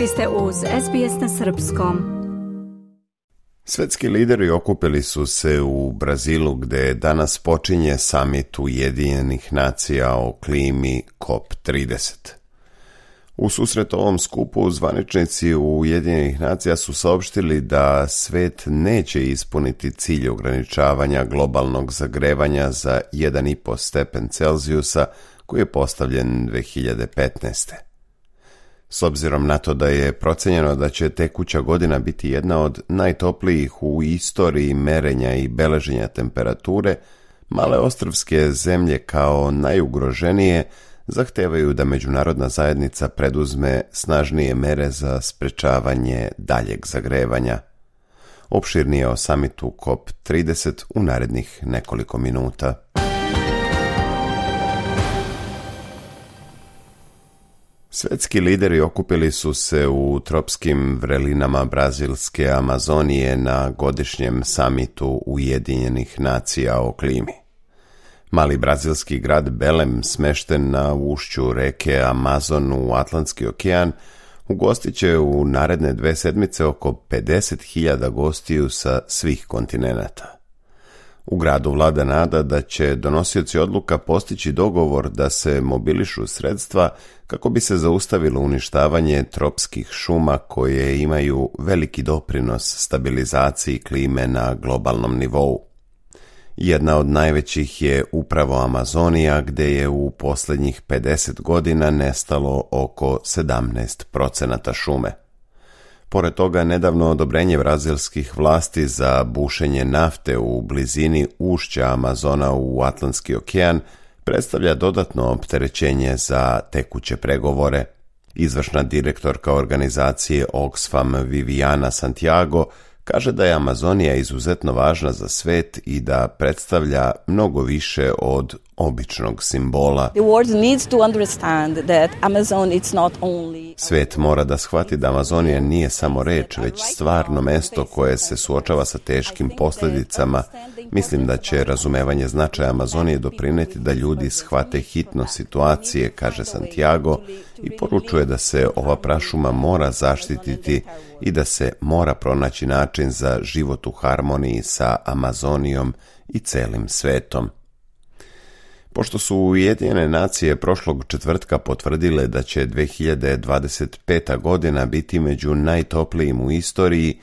Vi ste uz SBS na srpskom. Svetski lideri okupili su se u Brazilu gdje danas počinje samit Ujedinjenih nacija o klimi COP30. U susret ovom skupu zvaničnici Ujedinjenih nacija su saopštili da svet neće ispuniti cilj ograničavanja globalnog zagrevanja za 1,5 stepen Celzijusa koji je postavljen 2015. S obzirom na to da je procenjeno da će tekuća godina biti jedna od najtoplijih u istoriji merenja i beleženja temperature, male ostrvske zemlje kao najugroženije zahtevaju da međunarodna zajednica preduzme snažnije mere za sprečavanje daljeg zagrevanja. Opširnije o samitu COP30 u narednih nekoliko minuta. Svetski lideri okupili su se u tropskim vrelinama brazilske Amazonije na godišnjem samitu Ujedinjenih nacija o klimi. Mali brazilski grad Belem, smešten na ušću reke Amazon u Atlantski okean, ugostit će u naredne 2 sedmice oko 50.000 gostiju sa svih kontinenata. U gradu vlada nada da će donosioci odluka postići dogovor da se mobilišu sredstva kako bi se zaustavilo uništavanje tropskih šuma koje imaju veliki doprinos stabilizaciji klime na globalnom nivou. Jedna od najvećih je upravo Amazonija, gdje je u posljednjih 50 godina nestalo oko 17% šume. Pored toga, nedavno odobrenje brazilskih vlasti za bušenje nafte u blizini ušća Amazona u Atlantski okean predstavlja dodatno opterećenje za tekuće pregovore. Izvršna direktorka organizacije Oxfam Viviana Santiago kaže da je Amazonija izuzetno važna za svet i da predstavlja mnogo više od običnog simbola. Svet mora da shvati da Amazonija nije samo reč, već stvarno mesto koje se suočava sa teškim posljedicama. Mislim da će razumevanje značaja Amazonije doprineti da ljudi shvate hitnost situacije, kaže Santiago, i poručuje da se ova prašuma mora zaštititi i da se mora pronaći način za život u harmoniji sa Amazonijom i celim svetom. Pošto su Ujedinjene nacije prošlog četvrtka potvrdile da će 2025. godina biti među najtoplijim u istoriji,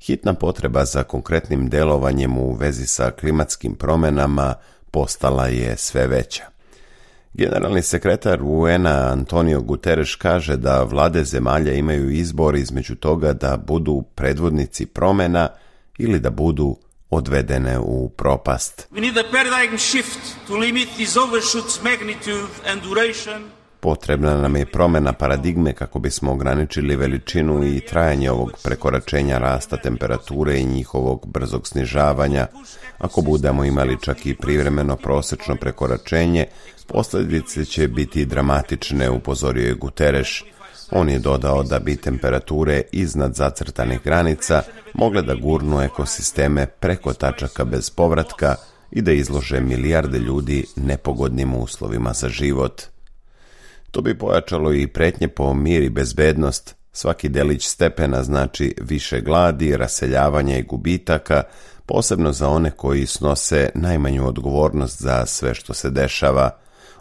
hitna potreba za konkretnim delovanjem u vezi sa klimatskim promjenama postala je sve veća. Generalni sekretar UN-a Antonio Guterres kaže da vlade zemalja imaju izbor između toga da budu predvodnici promjena ili da budu odvedene u propast. Potrebna nam je promjena paradigme kako bismo ograničili veličinu i trajanje ovog prekoračenja rasta temperature i njihovog brzog snižavanja. Ako budemo imali čak i privremeno prosečno prekoračenje, posljedice će biti dramatične, upozorio je Guterres. On je dodao da bi temperature iznad zacrtanih granica mogle da gurnu ekosisteme preko tačaka bez povratka i da izlože milijarde ljudi nepogodnim uslovima za život. To bi pojačalo i pretnje po mir i bezbednost. Svaki delić stepena znači više gladi, raseljavanja i gubitaka, posebno za one koji snose najmanju odgovornost za sve što se dešava.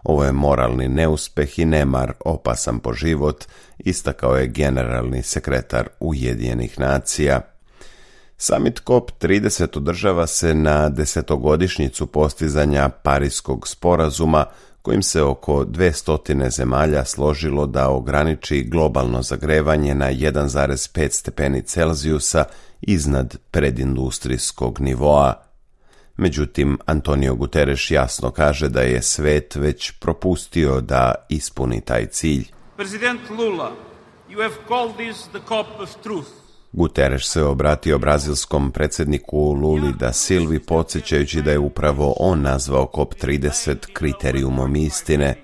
Ovo je moralni neuspeh i nemar opasan po život, istakao je generalni sekretar Ujedinjenih nacija. Samit COP30 održava se na 10-godišnjicu postizanja Pariskog sporazuma, kojim se oko 200 zemalja složilo da ograniči globalno zagrevanje na 1,5 stepeni Celzijusa iznad predindustrijskog nivoa. Međutim, Antonio Guterres jasno kaže da je svet već propustio da ispuni taj cilj. President Lula, you have called this the COP of truth. Guterres se obratio brazilskom predsjedniku Luli da Silvi, podsjećajući da je upravo on nazvao COP30 kriterijumom istine.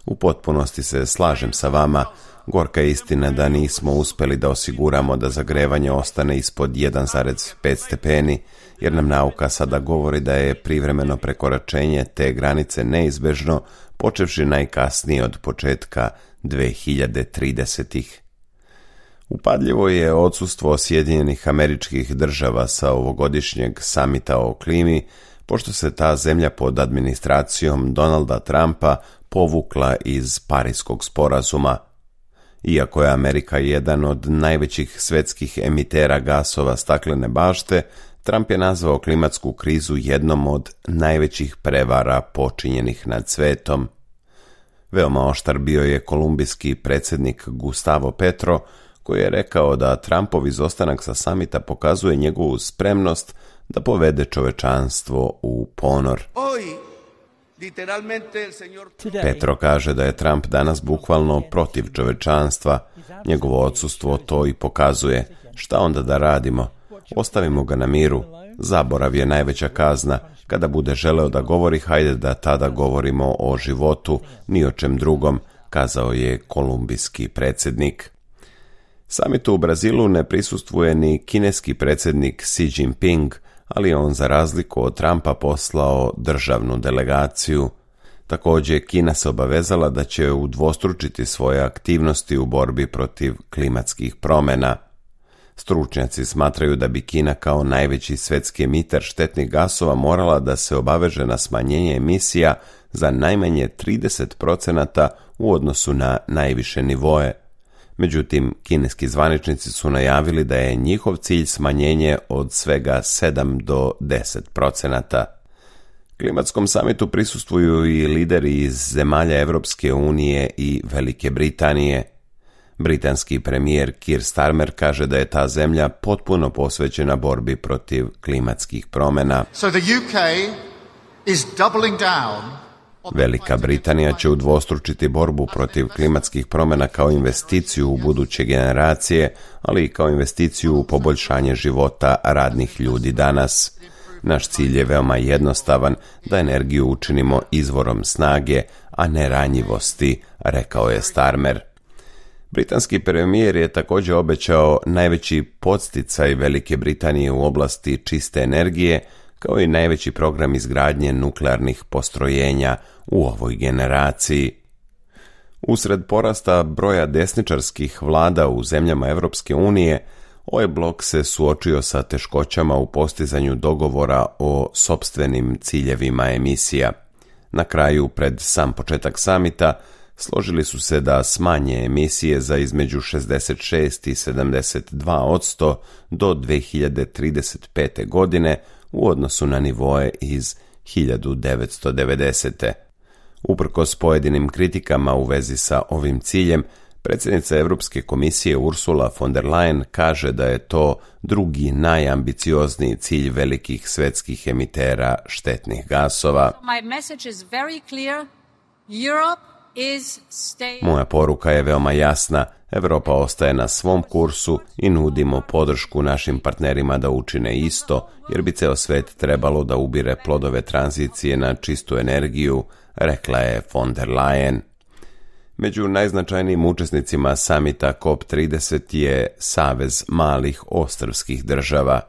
U potpunosti se slažem sa vama. Gorka je istina da nismo uspjeli da osiguramo da zagrevanje ostane ispod 1,5 stepeni, jer nam nauka sada govori da je privremeno prekoračenje te granice neizbežno, počevši najkasnije od početka 2030-ih. Upadljivo je odsustvo Sjedinjenih Američkih Država sa ovogodišnjeg samita o klimi, pošto se ta zemlja pod administracijom Donalda Trumpa povukla iz Pariskog sporazuma. Iako je Amerika jedan od najvećih svjetskih emitera gasova staklene bašte, Trump je nazvao klimatsku krizu jednom od najvećih prevara počinjenih nad svetom. Veoma oštar bio je kolumbijski predsjednik Gustavo Petro, koji je rekao da Trumpov izostanak sa samita pokazuje njegovu spremnost da povede čovečanstvo u ponor. Petro kaže da je Trump danas bukvalno protiv čovečanstva. Njegovo odsustvo to i pokazuje. Šta onda da radimo? Ostavimo ga na miru. Zaborav je najveća kazna. Kada bude želeo da govori, hajde da tada govorimo o životu, ni o čem drugom, kazao je kolumbijski predsjednik. Samitu u Brazilu ne prisustvuje ni kineski predsjednik Xi Jinping, ali on za razliku od Trumpa poslao državnu delegaciju. Također, Kina se obavezala da će udvostručiti svoje aktivnosti u borbi protiv klimatskih promjena. Stručnjaci smatraju da bi Kina kao najveći svjetski emiter štetnih gasova morala da se obaveže na smanjenje emisija za najmanje 30% u odnosu na najviše nivoe. Međutim, kineski zvaničnici su najavili da je njihov cilj smanjenje od svega 7 do 10%. Klimatskom samitu prisustvuju i lideri iz zemalja Europske unije i Velike Britanije. Britanski premijer Keir Starmer kaže da je ta zemlja potpuno posvećena borbi protiv klimatskih promjena. So the UK is doubling down. Velika Britanija će udvostručiti borbu protiv klimatskih promjena kao investiciju u buduće generacije, ali i kao investiciju u poboljšanje života radnih ljudi danas. Naš cilj je veoma jednostavan, da energiju učinimo izvorom snage, a ne ranjivosti, rekao je Starmer. Britanski premijer je također obećao najveći podsticaj Velike Britanije u oblasti čiste energije, kao i najveći program izgradnje nuklearnih postrojenja u ovoj generaciji. Usred porasta broja desničarskih vlada u zemljama Europske unije, ovaj blok se suočio sa teškoćama u postizanju dogovora o sopstvenim ciljevima emisija. Na kraju, pred sam početak samita, složili su se da smanje emisije za između 66 i 72% do 2035. godine u odnosu na nivoe iz 1990. Uprkos pojedinim kritikama u vezi sa ovim ciljem, predsjednica Europske komisije Ursula von der Leyen kaže da je to drugi najambiciozniji cilj velikih svjetskih emitera štetnih gasova. Moja poruka je veoma jasna. Europa ostaje na svom kursu i nudimo podršku našim partnerima da učine isto, jer bi ceo svet trebalo da ubire plodove tranzicije na čistu energiju, rekla je von der Leyen. Među najznačajnijim učesnicima samita COP30 je Savez malih ostrvskih država.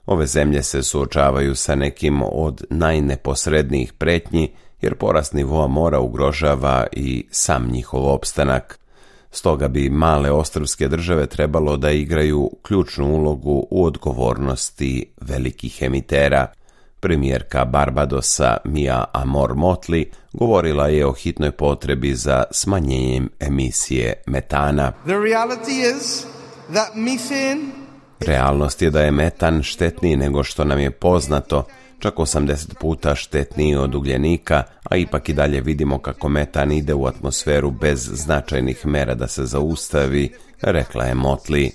Ove zemlje se suočavaju sa nekim od najneposrednijih pretnji, jer porast nivoa mora ugrožava i sam njihov opstanak. Stoga bi male ostrvske države trebalo da igraju ključnu ulogu u odgovornosti velikih emitera. Premijerka Barbadosa Mia Amor Motley govorila je o hitnoj potrebi za smanjenjem emisije metana. Realnost je da je metan štetniji nego što nam je poznato, čak 80 puta štetniji od ugljenika, a ipak i dalje vidimo kako metan ide u atmosferu bez značajnih mera da se zaustavi, rekla je Motley.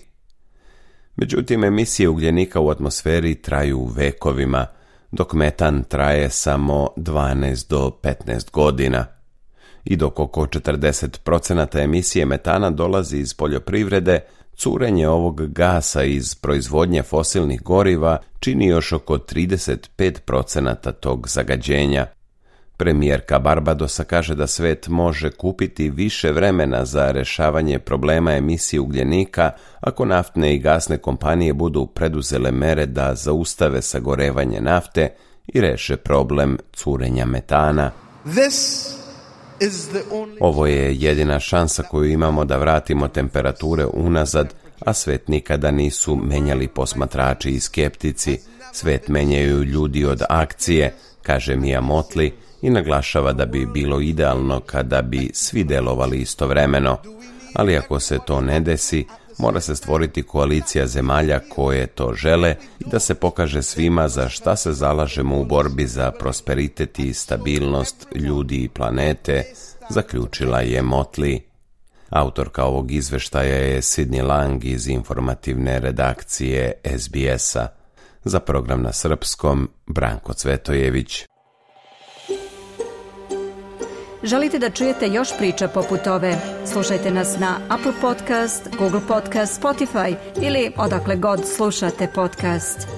Međutim, emisije ugljenika u atmosferi traju vekovima, dok metan traje samo 12 do 15 godina. I dok oko 40% emisije metana dolazi iz poljoprivrede, curenje ovog gasa iz proizvodnje fosilnih goriva čini još oko 35% tog zagađenja. Premijerka Barbadosa kaže da svet može kupiti više vremena za rješavanje problema emisije ugljenika ako naftne i gasne kompanije budu preduzele mere da zaustave sagorevanje nafte i reše problem curenja metana. Ovo je jedina šansa koju imamo da vratimo temperature unazad, a svet nikada nisu menjali posmatrači i skeptici, svet menjaju ljudi od akcije, kaže Mia Mottley i naglašava da bi bilo idealno kada bi svi delovali istovremeno, ali ako se to ne desi, mora se stvoriti koalicija zemalja koje to žele i da se pokaže svima za šta se zalažemo u borbi za prosperitet i stabilnost ljudi i planete, zaključila je Mottley. Autorka ovog izveštaja je Sidney Lang iz informativne redakcije SBS-a. Za program na srpskom, Branko Cvetojević. Želite da čujete još priča poput ove? Slušajte nas na Apple Podcast, Google Podcast, Spotify ili odakle god slušate podcast.